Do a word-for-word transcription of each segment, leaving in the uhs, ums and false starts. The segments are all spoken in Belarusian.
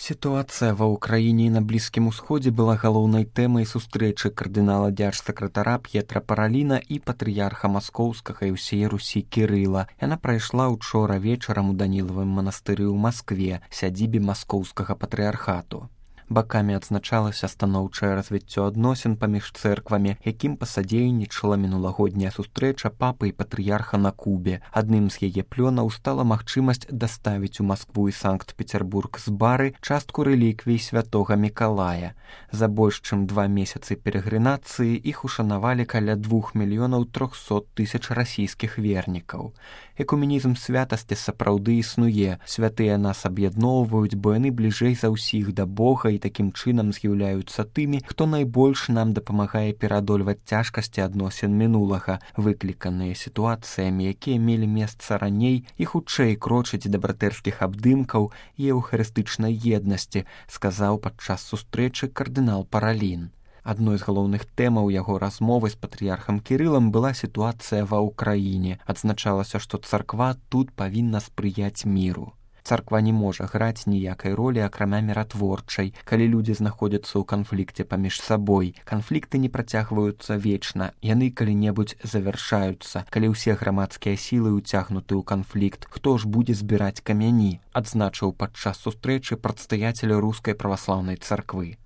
Сітуацыя ва ўкраіне і на Блізкім усходзе была галоўнай тэмай сустрэчы кардынала дзяржсакратара П'етра Параліна і патрыярха маскоўскага і ўсей Русі Кірыла. Яна прайшла учора вечарам у Данілавым манастыры ў Маскве, сядзібе маскоўскага патрыярхату. Бакамі адзначалася станоўчае развіццё адносін паміж цэрквамі, якім пасадзейнічала мінулагодняя сустрэча папы і патрыярха на Кубе. Адным з яе плёнаў стала магчымасць даставіць у Маскву і Санкт-Пецярбург з бары частку рэліквій святога Мікалая. За больш чым два месяцы перагрынацыі іх ушанавалі каля двух мільёнаў трохсот тысяч расійскіх вернікаў. Экуменізм святасці сапраўды існуе. Святыя нас аб'ядноўваюць, бо яны бліжэй за ўсіх да Бога і такім чынам з'яўляюцца тымі, хто найбольш нам дапамагае пераадольваць цяжкасці адносін мінулага, выкліканыя сітуацыямі, якія мелі месца раней, і хутчэй крочыць да братэрскіх абдымкаў і еўхарыстычнай еднасці, сказаў падчас сустрэчы кардынал Паралін. Адной з галоўных тэмаў яго размовы з патрыярхам Кірылам была сітуацыя ва ўкраіне. Адзначалася, што царква тут павінна спрыяць міру. Царква не можа граць ніякай ролі, акрамя міратворчай, калі людзі знаходзяцца ў канфлікце паміж сабой. Канфлікты не працягваюцца вечна, яны калі-небудзь завяршаюцца. Калі ўсе грамадскія сілы ўцягнуты ў канфлікт, хто ж будзе збіраць камяні, адзначыў падчас сустрэчы прадстаяцеля рускай праваслаўнай царквы.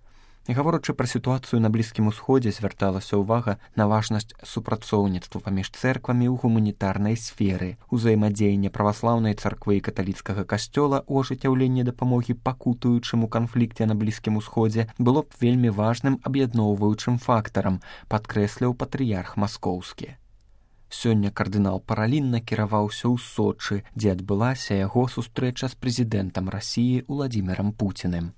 Гаворачы пра сітуацыю на Блізкім усходзе, звярталася ўвага на важнасць супрацоўніцтва паміж цэрквамі ў гуманітарнай сферы. Узаемадзеянне праваслаўнай царквы і каталіцкага касцёла ў ажыццяўленні дапамогі пакутуючым у канфлікце на Блізкім усходзе было б вельмі важным аб'ядноўваючым фактарам, падкрэсліў патрыярх маскоўскі. Сёння кардынал Паралін накіраваўся ў Сочы, дзе адбылася яго сустрэча з прэзідэнтам Расіі Уладзімірам Пуціним.